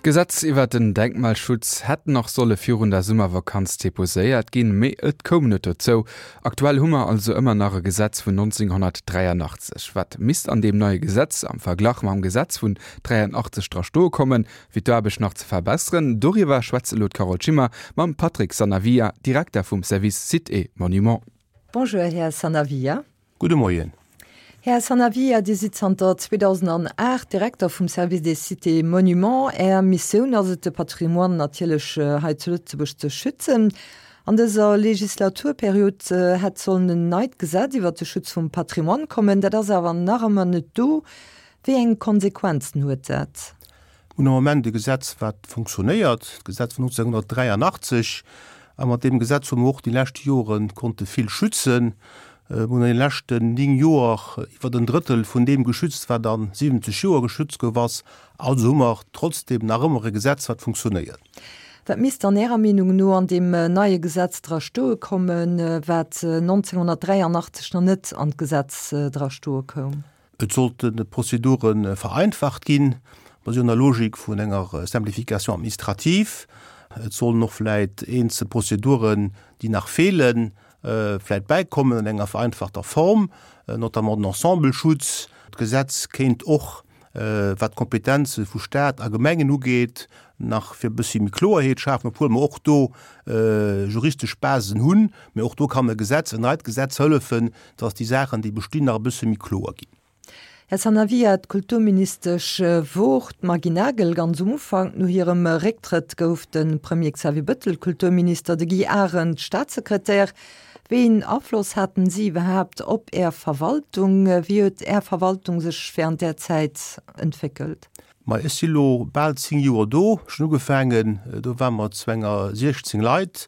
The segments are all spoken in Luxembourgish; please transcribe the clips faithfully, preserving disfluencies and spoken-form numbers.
D'Gesetz iwwert den Denkmalschutz hätt nach solle virun der Summervakanz deposéiert ginn, mee et koum net dozou. Aktuell hu mer also ëmmer nach e Gesetz vun neunzehnhundertdräianachtzeg. Wat misst an deem neie Gesetz am Verglach mam Gesetz vun dräianachtzeg dra stoe kommen, fir d'Aarbecht nach ze verbesseren? Doriwwer schwätzt elo d'Carole Schimmer mam Patrick Sanavia, Direkter vum Service Sites et Monuments. Bonjour, Här Sanavia. Gudde Moien. Här Sanavia, Dir sidd zanter zweedausendanaacht Direkter vum Service des Sites et Monuments. Är Missioun ass et, de Patrimoine natierlech hei zu Lëtzebuerg ze schützen. An dëser Legislaturperiod hätt sollen en neit Gesetz iwwert de Schutz vum Patrimoine kommen. Dat ass awer nach ëmmer net do. Wéi eng Konsequenzen huet dat? Mir hunn am Moment e Gesetz, wat funktionéiert, d'Gesetz vun neunzehnhundertdräianachtzeg. A mat deem Gesetz hu mer och déi lescht Jore konnte vill schützen. Mir hunn an de leschten néng Joer iwwer en Drëttel vun deem geschützt, wat a siwwenzeg Joer geschützt gouf ass. Also hu mer trotzdem nach ëmmer e Gesetz, wat funktionéiert. Wat misst dann Ärer Meenung no an deem neie Gesetz dra stoe kommen, wat neunzehnhundertdräianachtzeg nach net an d'Gesetz dra stoe koum? Et sollten d'Prozedure vereinfacht ginn, mer si an der Logik vun enger Simplification administrative. Et sollen och vläit eenzel Prozeduren, déi nach feelen, vläit bäikommen an enger vereinfachter Form, notamment den Ensembleschutz. D'Gesetz kéint och, wat d'Kompetenze vu Stat a Gemengen ugeet, nach fir e bëssi méi Kloerheet schafen, obwuel mer och do juristesch Basen hunn. Mä och do kann e Gesetz, en neit Gesetz hëllefen, dass déi Saachen, déi bestinn, nach e bësse méi kloer ginn. Här Sanavia, d'Kulturministesch wor d'Maggy Nagel ganz um Ufank. No hirem Récktrëtt gouf de Premier Xavier Bettel Kulturminister, de Guy Arendt Staatssekretär. Wéi een Afloss haten si iwwerhaapt op Är Verwaltung? Wéi huet Är Verwaltung sech wärend där Zäit entwéckelt? Ma ech si lo bal zéng Joer do. Ech hunn ugefaangen, do ware mer zu enger siechzéng Leit.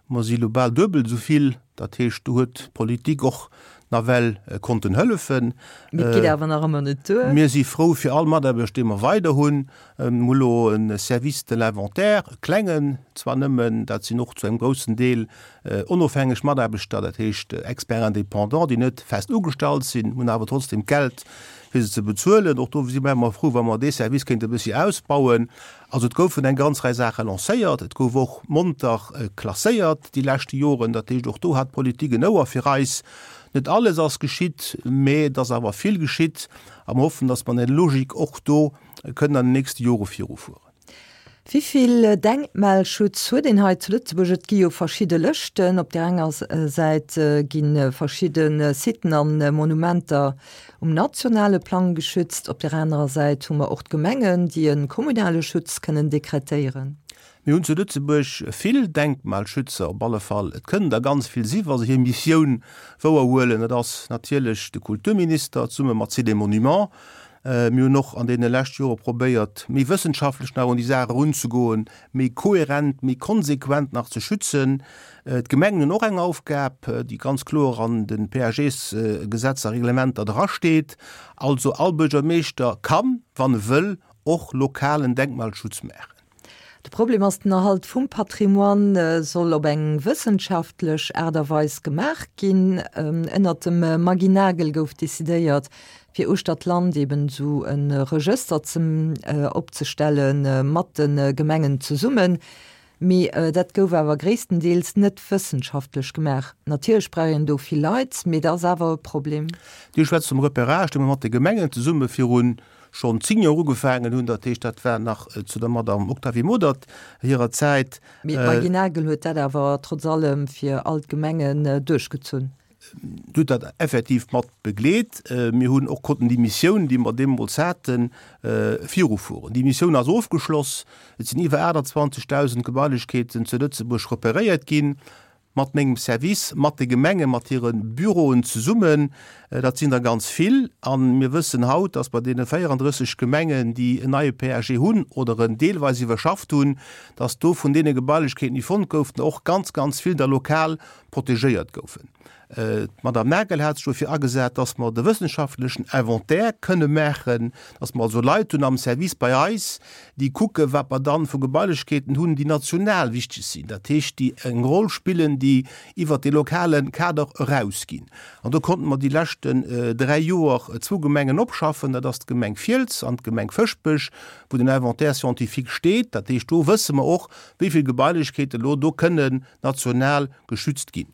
Mer si lo bal duebel esou vill. Dat heescht, do huet d'Politik och nawell konnten hëllefen. Mee et geet awer nach ëmmer net duer. Mir si frou fir all Mataarbechter, dee mer weider hunn. Mir hu lo e Service de l'inventaire, e klengen zwar nëmmen, dat sinn och zu engem groussen Deel onofhängeg Mataarbechter, dat heescht Experts indépendants, déi net fest ugestallt sinn, hunn awer trotzdem d'Geld, fir se ze bezuelen. Och do si mer ëmmer frou, wa mer dee Service kéinte e bëssi ausbauen. Also et goufen eng ganz Rei Saache lancéiert, et gouf och monter klasséiert déi leschte Joren. Dat heescht, och do hat d'Politik en Ouer fir eis. Net alles ass geschitt, mä et ass awer vill geschitt a mer hoffen, datt mer an där Logik och do kënnen an den nächste Jore virufueren. Wéi vill Denkmalschutz huet een hei zu Lëtzebuerg? Et gi jo verschidde Lëschten. Op där enger Säit gi verschidde Siten a Monumenter um nationale Plang geschützt. Op där anerer Säit hu mer och d'Gemengen, déi e kommunale Schutz kënnen dekretéieren. Mir hunn zu Lëtzebuerg vill Denkmalschützer, op alle Fall. Et kënnen der ganz vill si wa se hir Missioun wouerhuelen. Dat ass natierlech de Kulturminister zesumme mat Sites et Monuments. Mir hunn och an deene leschte Jore probéiert, méi wëssenschaftlech nach un déi Saach erunzegoen, méi kohärent, méi konsequent nach ze schützen. D'Gemengen hunn och eng Aufgab, déi ganz kloer an de P A Gs-Gesetzer a Reglementer drasteet. Also all Buergermeeschter kann, wann e wëll, och lokalen Denkmalschutz maachen. De Problem ass, den Erhalt vum Patrimoine soll op eng wëssenschaftlech Aart a Weis gemaach ginn. Ënnert dem Maggy Nagel gouf decidéiert, fir uechter d'Land eben esou e Regëster ze opzestelle mat de Gemengen zesummen. Mee dat gouf awer gréisstendeels net wëssenschaftlech gemaach. Natierlech brauch een do vill Leit, mee dat ass awer e Problem. Dir schwätzt vum Repérage, dee mer mat de Gemengen zesumme virun schonn zéng Joer ugefaangen hunn. Dat heescht, dat war nach zu der Madame Octavie Modert hirer Zäit. Mee d'Maggy Nagel huet dat awer trotz allem fir all d'Gemengen duerchgezunn. Huet dat effektiv mat begleet. Mir hunn och konnten déi Missioun, déi mer deemools haten, virufueren. Déi Missioun ass ofgeschloss. Et sinn iwwer aachtanzwanzegdausend Gebailechkeeten zu Lëtzebuerg reperéiert ginn, mat mengem Service, mat de Gemengen, mat hire Büroen zesummen. Dat sinn der ganz vill. A mir wëssen haut, dass bei deene véierandrësseg Gemengen, déi en neie P A G hunn oder en deelweis iwwerschafft hunn, dass do vun deene Gebailechkeeten, déi fonnt goufen, och ganz, ganz vill der lokal protegéiert goufen. D'Madame Nagel hat sech dofir agesat, dass mer de wëssenschaftlechen Inventaire kënne maachen, dass mer also Leit hunn am Service bei eis, déi kucken, wat mer dann vu Gebailechkeeten hunn, déi national wichteg sinn, dat heescht, déi eng Roll spillen, déi iwwert dee lokale Kader erausginn. An do konnte mer déi leschten dräi Joer zwou Gemengen opschaffen, dat ass d'Gemeng Fiels an d'Gemeng Fëschbech, wou den Inventaire scientifique steet. Dat heescht, do wësse mer och, wéi vill Gebailechkeete lo do kënnen national geschützt ginn.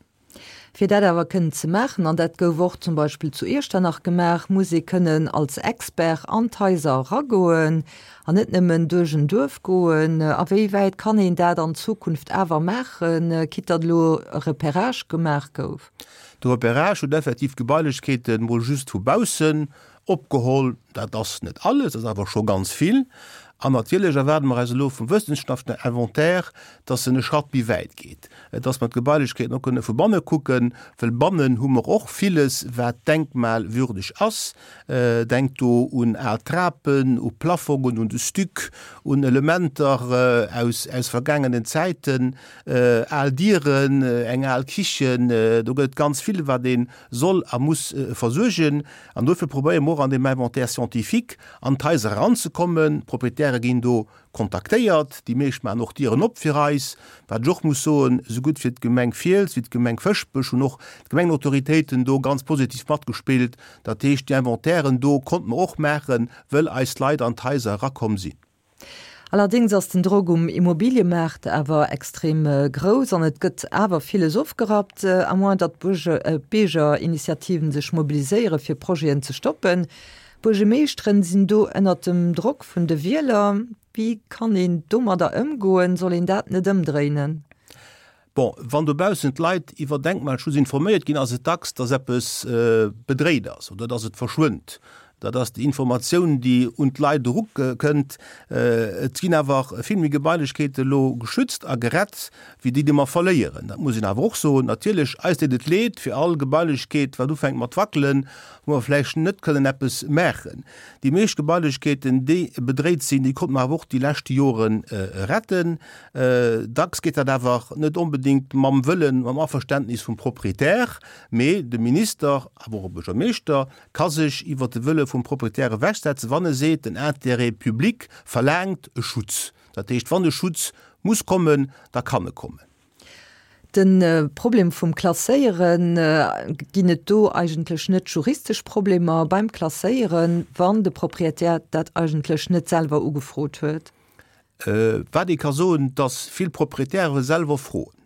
Fir dat awer kënnen ze maachen, an dat gouf och zum Beispill zu Iechternach gemaach, muss ee kënnen als Expert an d'Haiser eragoen an net nëmmen duerch en Duerf goen. A wéi wäit kann een dat an Zukunft awer maachen, quitte datt elo e Repérage gemaach gouf? De Repérage huet effektiv d'Gebailechkeete mol just vu baussen opgeholl. Dat ass net alles, dat ass awer scho ganz vill. An natierlech erwaarde mer eis elo vum wëssenschaftlechen Inventaire, dass en e Schratt méi wäit geet, dass mer d'Gebailechkeeten och kënne vu banne kucken, well bannen hu mer och villes, wat denkmalwürdeg ass. Denkt do un al Trapen, u Plafongen, un de Stuc, un Elementer aus, aus vergaangenen Zäiten, al Dieren, eng al Kichen. Do gëtt et ganz vill, wat ee soll a muss versuergen. An dofir probéiere mer och an deem Inventaire scientifique an d'Haiser eranzekommen. D'Proprietäre ginn do kontaktéiert, déi meescht maachen och d'Dieren op fir eis. Wat ech och muss soen, esou gutt fir d'Gemeng Fiels wéi d'Gemeng Fëschbech hunn och d'Gemengenautoritéiten do ganz positiv matgespillt. Dat heescht, déi Inventairen do konnte mer och maachen, wëll eis Leit an d'Haiser erakomm sinn. Allerdéngs ass den Drock um Immobiliëmaart awer extrem grouss an et gëtt awer villes ofgerappt, à moins datt d'Biergerinitiativen sech mobiliséiere fir Projeten ze stoppen. D'Buergemeeschteren sinn do ënnert dem Drock vun de Wieler. Wéi kann een domadder ëmgoen? Soll een dat net ëmdréinen? Bon, wann dobaussen d'Leit iwwer Denkmalschutz informéiert ginn, ass et dacks, datt eppes bedréit ass oder datt et verschwënnt. Dat ass déi Informatioun, déi un d'Leit erukënnt. Et ginn awer vill méi Gebailechkeete elo geschützt a gerett, wéi déi, déi mer verléieren. Dat muss een awer och soen. Natierlech, eis deet et leed fir all Gebailechkeet, wat ufänkt mat wackelen, wou mer vläicht net kënnen eppes maachen. Déi meescht Gebailechkeeten, déi bedréit sinn, déi konnte mer awer och déi leschte Jore retten. Dacks geet dat awer net onbedéngt mam Wëllen, mam Averständnis vum Proprietär, mee de Minister, awer och e Buergermeeschter, ka sech iwwert de Wëlle vum Proprietär ewechsetzen, wann e seet, den Intérêt public verlaangt e Schutz. Dat heescht, wann e Schutz muss kommen, da kann e kommen. De Problem vum Klasséieren, Ginn et do eigentlech net juristesch Problemer beim Klasséieren, wann de Proprietär dat eigentlech net selwer ugefrot huet? Wat ee ka soen, dass vill Proprietäre selwer froen.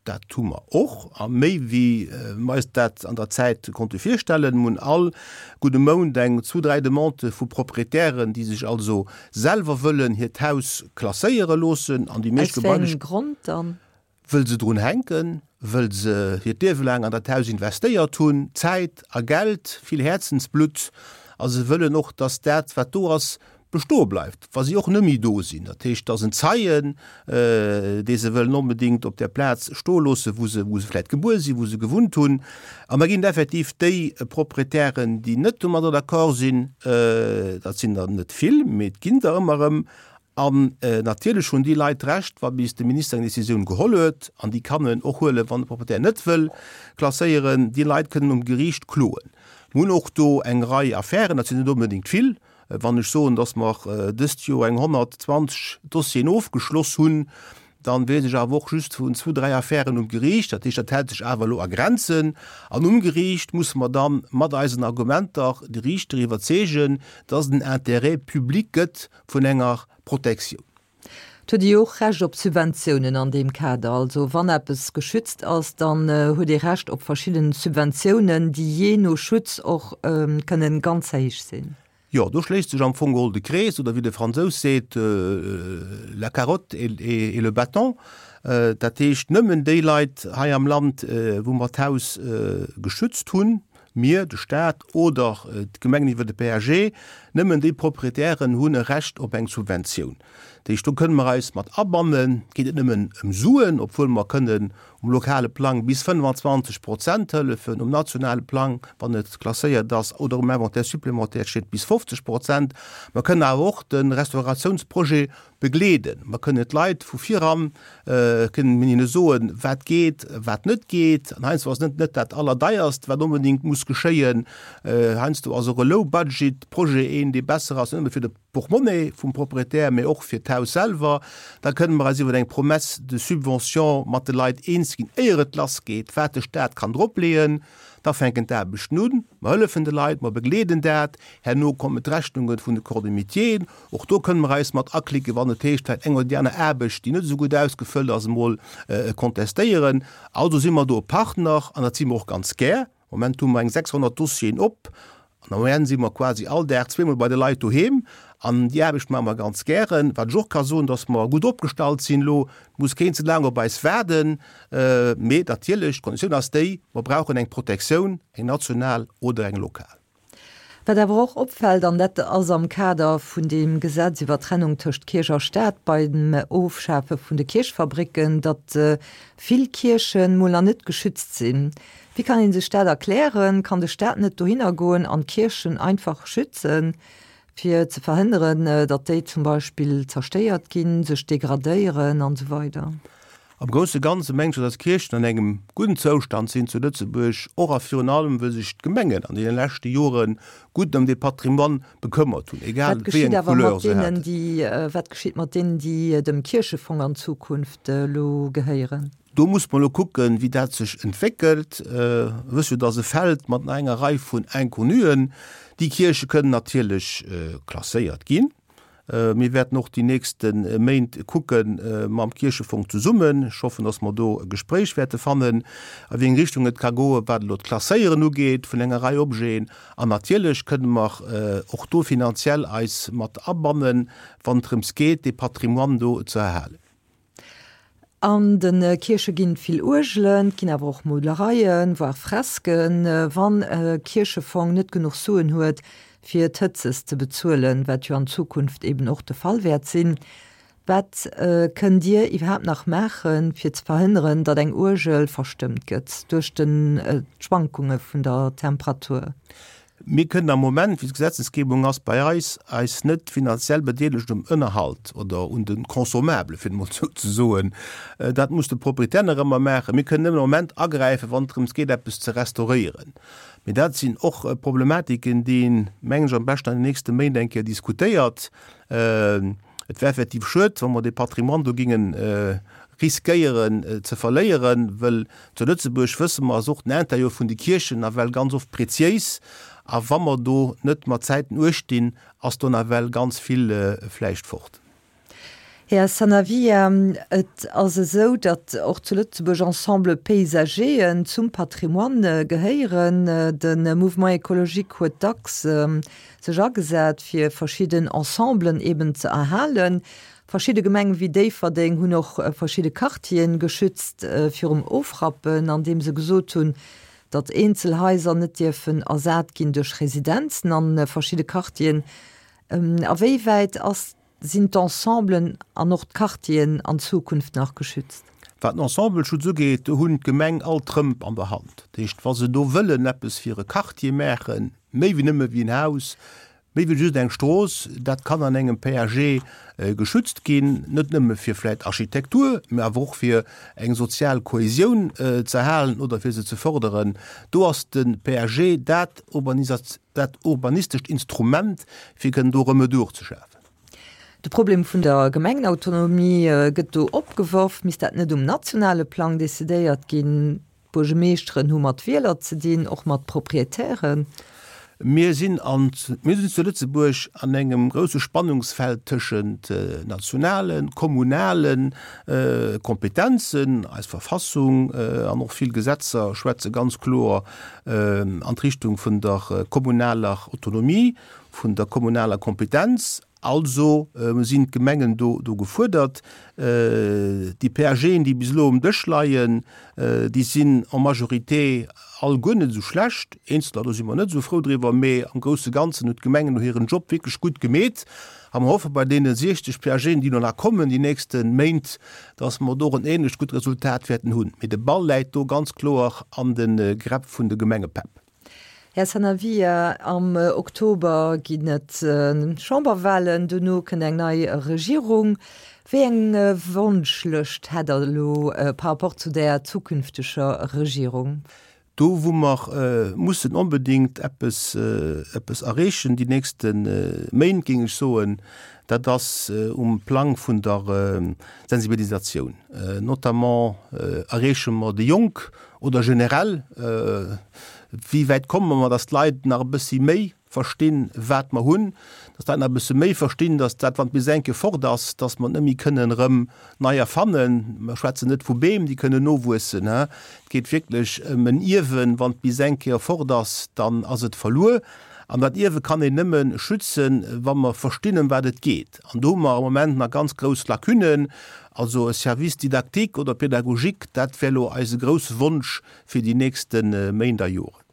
Dat hu mer och, a méi wéi mer eis dat an der Zäit konnte virstellen. Mer hunn all gudde Mount eng, zwou, dräi Demandë vu Proprietären, déi sech also selwer wëllen hiert Haus klasséiere loossen. An déi meescht Aus wéi engem Grond dann? Wëll se drun hänken, wëll se hiert Liewe laang an dat Haus investéiert hunn, Zäit a Geld, vill Häerzensblutt, a se wëllen och, dass dat, wat do ass, bestoe bleift, wa si och net méi do sinn. Dat heescht, et ass en Zeien, dee se wëllen onbedéngt op där Plaz stoe loossen, wou se, wou se vläicht gebuer sinn, wou se gewunnt hunn. An da ginn et effektiv déi Proprietären, déi net domadder d'accord sinn. Dat sinn der net vill, mee et ginn der ëmmer erëm. An natierlech hunn déi Leit d'Recht, wa bis de Minister eng Décisioun geholl huet, an déi kann en och huelen, wann de Proprietär net wëll klasséieren, déi Leit kënnen um Geriicht kloen. Mir hunn och do eng Rei Affären, dat sinn net onbedéngt vill. Wann ech soen, datt mer dëst Joer eng honnertzwanzeg Dossieren ofgeschloss hunn, dann weess ech awer och just vun zwou, dräi Affären um Geriicht. Dat heescht, dat hält sech awer elo a Grenzen. An um Geriicht musse mer dann mat eisen Argumenter de Riichter iwwerzeegen, datt et en Intérêt public gëtt vun enger Protektioun. Et huet ee jo och Recht op Subventiounen an deem Kader. Also wann eppes geschützt ass, dann huet ee Recht op verschidden Subventiounen, déi jee no Schutz och kënnen ganz héich sinn. Jo, do schléisst sech am Fong geholl de Krees, oder wéi de Fransous seet, la carotte et le bâton. Dat heescht, nëmmen déi Leit hei am Land, wou mer d'Haus geschützt hunn, mir, de Staat oder d'Gemengen iwwer de P A G, nëmmen déi Proprietären hunn e Recht op eng Subventioun. Dat heescht, do kënne mer eis mat abannen. Et geet net nëmmen ëm Suen, obwuel mer kënnen um lokale Plang bis fënnfanzwanzeg Prozent hëllefen, um nationale Plang, wann et klasséiert ass oder um Inventaire supplémentaire steet, bis fofzeg Prozent. Mer kënnen awer och de Restauratiounsprojet begleeden. Mer kënnen d'Leit vu viran, kënnen mir hinne soen, wat geet, wat net geet. An heiansdo ass net net dat Allerdeierst, wat onbedéngt muss geschéien. Heiansdo ass och e Low-Budget-Projet een, dee besser ass, net nëmme fir de Portmonnaie vum Proprietär, mee och fir d'Haus selwer. Da kënnen mer eis iwwer eng Promesse de subvention mat de Leit eens ginn, éier et lassgeet, wat de Staat kann dropleeën. Da fänken d'Aarbechten un. Mer hëllefen de Leit, mer begleeden dat. Herno kommen d'Rechnunge vun de Corps de métieren. Och do kënnen mer eis mat aklicken, wann et heescht, vläicht eng oder déi aner Aarbecht, déi net esou gutt ausgefëllt ass, emol contestéieren. Also si mer do e Partner an dat si mer och ganz gär. Am Moment hu mer eng sechshonnert Dossieren op. An der Moyenne si mer quasi all Dag zweemol bei de Leit doheem. An déi Aarbecht maache mer ganz gären. Wat ech och ka soen, dass mer gutt opgestallt sinn elo. Et muss keen ze laang op eis waarden. Mee natierlech, d'Konditioun ass déi, mer brauchen eng Protektioun, eng national oder eng lokal. Wat awer och opfält, an dat ass am Kader vun deem Gesetz iwwer d'Trennung tëscht Kierch a Staat beim Ofschafe vun de Kierchfabricken, datt vill Kierchen mol nach net geschützt sinn. Wéi kann ee sech dat erklären? Kann de Staat net dohinner goen an d'Kierchen einfach schützen, fir ze verhënneren, datt déi zum Beispill zerstéiert ginn, sech degradéieren an esou weider? Am grousse Ganze mengen ech, datt d'Kierchen an engem gudden Zoustand sinn zu Lëtzebuerg, och a virun allem, wëll sech d'Gemengen an deene leschte Jore gutt ëm dee Patrimoine bekëmmert hunn, egal Wat wéi geschitt eng awer mat Couleur se deenen, haten. déi, wat geschitt mat deenen, déi dem Kierchefong an Zukunft elo gehéieren? Do muss mer elo kucken, wéi dat sech entwéckelt. Wëss jo, datt e Feld mat nach enger Rei vun Inconnuen. Déi Kierche kënnen natierlech klasséiert ginn. Mir wäerten och déi nächste Méint kucke mam Kierchefong zesummen, ech hoffen, datt mer do e Gespréich wäerte fannen, a wéi eng Richtung et ka goen, wat elo d'Klasséieren ugeet vun enger Rei Objeten. An natierlech kënne mer och do finanziell eis mat abannen, wann et drëms geet, dee Patrimoine do ze erhalen. An de Kierche ginn et vill Uergelen, et ginn awer och Molereien, voire Fresken. Wann e Kierchefong net genuch Suen huet, fir d'Hëtzes ze bezuelen, wat jo an Zukunft eben och de Fall wäert sinn, wat kënnt Dir iwwerhaapt nach maachen, fir ze verhënneren, datt eng Uergel verstëmmt gëtt duerch d'Schwankunge vun der Temperatur? Mir kënnen am Moment, wéi d'Gesetzesgebung ass bei eis, eis net finanziell bedeelegen um Ënnerhalt oder un de Consommablen, fir et emol esou ze soen. Dat muss de Proprietär nach ëmmer maachen. Mir kënnen nëmmen am Moment agräifen, wann et drëms geet, eppes ze restauréieren. Mee dat sinn och Problematiken, déi een, mengen ech, am beschten an den nächste Méint eng Kéier diskutéiert. Et wär effektiv schued, wa mer dee Patrimoine do géingen riskéieren ze verléieren, wëll zu Lëtzebuerg, wësse mer, ass och den Intérieur vun de Kierchen nawell ganz oft preziéis. A wa mer do net mat Zäiten uecht dinn, ass do nawell ganz vill vläicht fort. Här Sanavia, et ass esou, datt och zu Lëtzebuerg Ensembles paysagéen zum Patrimoine gehéieren. De Mouvement écologique huet dacks sech agesat, fir verschidden Ensemblen eben ze erhalen. Verschidde Gemenge wéi Déifferdeng hunn och verschidde Quartieren geschützt virum Ofrappen, andeem se gesot hunn, datt eenzel Haiser net dierfen ersat ginn duerch Residenzen a verschidde Quartieren. A wéi wäit ass, sinn d'Ensemblen an och d'Quartieren an Zukunft nach geschützt? Wat den Ensembleschutz ugeet, do hunn d'Gemeng all d'Trëmp an der Hand. Dat heescht, wa se do wëllen eppes fir e Quartier maachen, méi wéi nëmme wéi en Haus, méi wéi just eng Strooss, dat kann an engem P A G geschützt ginn, net nëmme fir vläicht Architektur, mä awer och fir eng sozial Kohesioun ze erhalen oder fir se ze fërderen. Do ass de P A G dat dat urbanistescht Instrument, fir kënnen do Remedur ze schafen. De Problem vun der Gemengenautonomie gëtt do opgeworf. Misst dat net um nationale Plang decidéiert ginn? D'Buergemeeschteren hu mat Wieler ze dinn, och mat Proprietären. Mir sinn an, mir sinn zu Lëtzebuerg an engem grousse Spannungsfeld tëschent nationalen, kommunale Kompetenzen. Eis Verfassung an och vill Gesetzer schwätze ganz kloer an d'Richtung vun der kommunaler Autonomie, vun der kommunaler Kompetenz. Also sinn d'Gemengen do do gefuerdert. Déi PAGen, déi bis elo um Dësch leien, déi sinn en majorité all guer net esou schlecht. Eenzeler, do si mer net esou frou driwwer, mee am grousse Ganzen hunn d'Gemengen do hiren Job wierklech gutt gemeet. A mer hoffe bei deene siechzeg PAGen, déi elo nach kommen déi nächste Méint, dass mer do och en ähnlecht gutt Resultat wäerten hunn. Mee de Ball läit do ganz kloer an de Gräpp vun de Gemengepäpp. Här Sanavia, am Oktober ginn et Chamberwahlen, dono kënnt eng nei Regierung. Wéi eng Wonschlëscht hätt Der elo par rapport zu där zukünfteger Regierung? Do wou mer mussen onbedéngt eppes, eppes erreechen déi nächste Méint, géing ech soen, dat ass um Plang vun der Sensibilisatioun. Notamment erreeche mer déi Jonk oder generell, Wéi wäit komme mer, dass d'Leit nach e bëssi méi verstinn, wat mer hunn, dass d'Leit nach e bësse méi verstinn, dass dat, wann d'Bis eng Kéier fort ass, dass mer et net méi kënnen erëm nei erfannen. Mer schwätzen net vu Beem, déi kënnen nowuessen. Et geet wierklech ëm en Ierwen. Wann d'Bis eng Kéier fort ass, dann ass et verluer. An dat Ierwe kann een nëmme schützen, wa mer verstinn, ëm wat et geet. An do hu mer am Moment nach ganz grouss Lacunen. Also e Service didactique oder pédagogique, dat wär elo eise grousse Wonsch fir déi nächste Méint a Joren.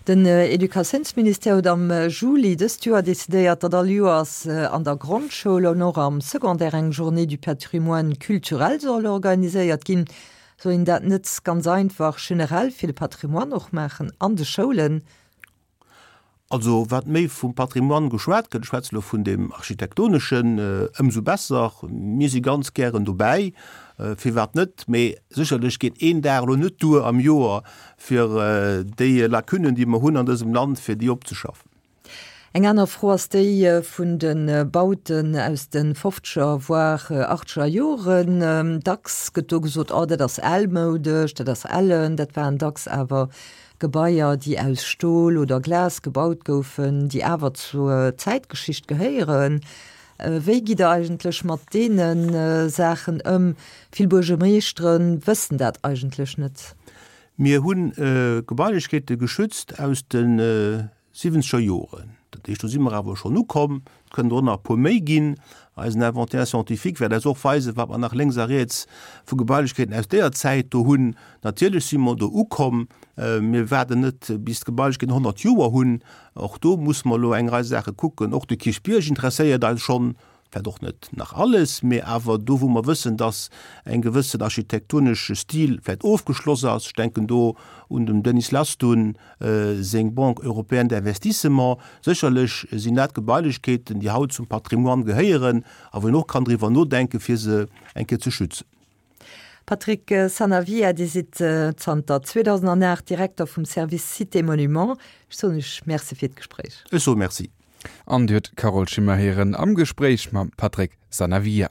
Den Educatiounsministère huet am Juli dëst Joer decidéiert, datt all Joers an der Grondschoul an och am Secondaire eng Journée du patrimoine culturel soll organiséiert ginn. Soll een dat net ganz einfach generell fir de Patrimoine och maachen an de Schoulen? Also wat méi vum Patrimoine geschwat gëtt, ech schwätze elo vun deem architektoneschen, ëmsou besser. Mir si ganz gären dobäi, firwat net? Mee sécherlech geet een Dag elo net duer am Joer, fir déi Lacunen, déi mer hunn an dësem Land, fir déi opzeschaffen. Eng aner Fro ass déi vun de Bauten aus de fofzeger, voire achtzeger Joren. Dacks gëtt do gesot, oh dat ass almoudesch, dat ass ellen. Dat waren dacks awer Gebaier, déi aus Stol oder Glas gebaut goufen, déi awer zur Zäitgeschicht gehéieren. Wéi gitt Der eigentlech mat deene Saachen ëm? Vill Buergermeeschtere wëssen dat eigentlech net. Mir hu Gebailechkeete geschützt aus de siwwenzeger Joren. Dat heescht, do si mer awer schonn ukomm. Et kënnen der och nach e puer méi ginn. Eisen Inventaire scientifique wäert eis och weisen, wat mer nach lénks a riets vu Gebailechkeeten aus deeër Zäit do hunn. Natierlech si mer do ukomm. Mir waarden net, bis d'Gebailechkeeten honnert Joer hunn. Och do musse mer elo eng Rei Saache kucken. Och de Kierchbierg interesséiert eis schonn. Vläicht och net nach alles, mee awer do, wou mer wëssen, dass eng gewëssen architektonesche Stil vläicht ofgeschloss ass, ech denken do un dem Denis Lastun seng Banque européenne d'investissement, sécherlech sinn dat Gebailechkeeten, déi haut zum Patrimoine gehéieren a wou een och kann driwwer nodenken, fir se eng Kéier ze schützen. Patrick Sanavia, Dir sidd zanter zweedausendanaacht Direkter vum Service Sites et Monuments. Ech soen Iech Merci fir d'Gespréich. Ech soe Merci. An Dir huet d'Carole Schimmer héieren am Gespréich mam Patrick Sanavia.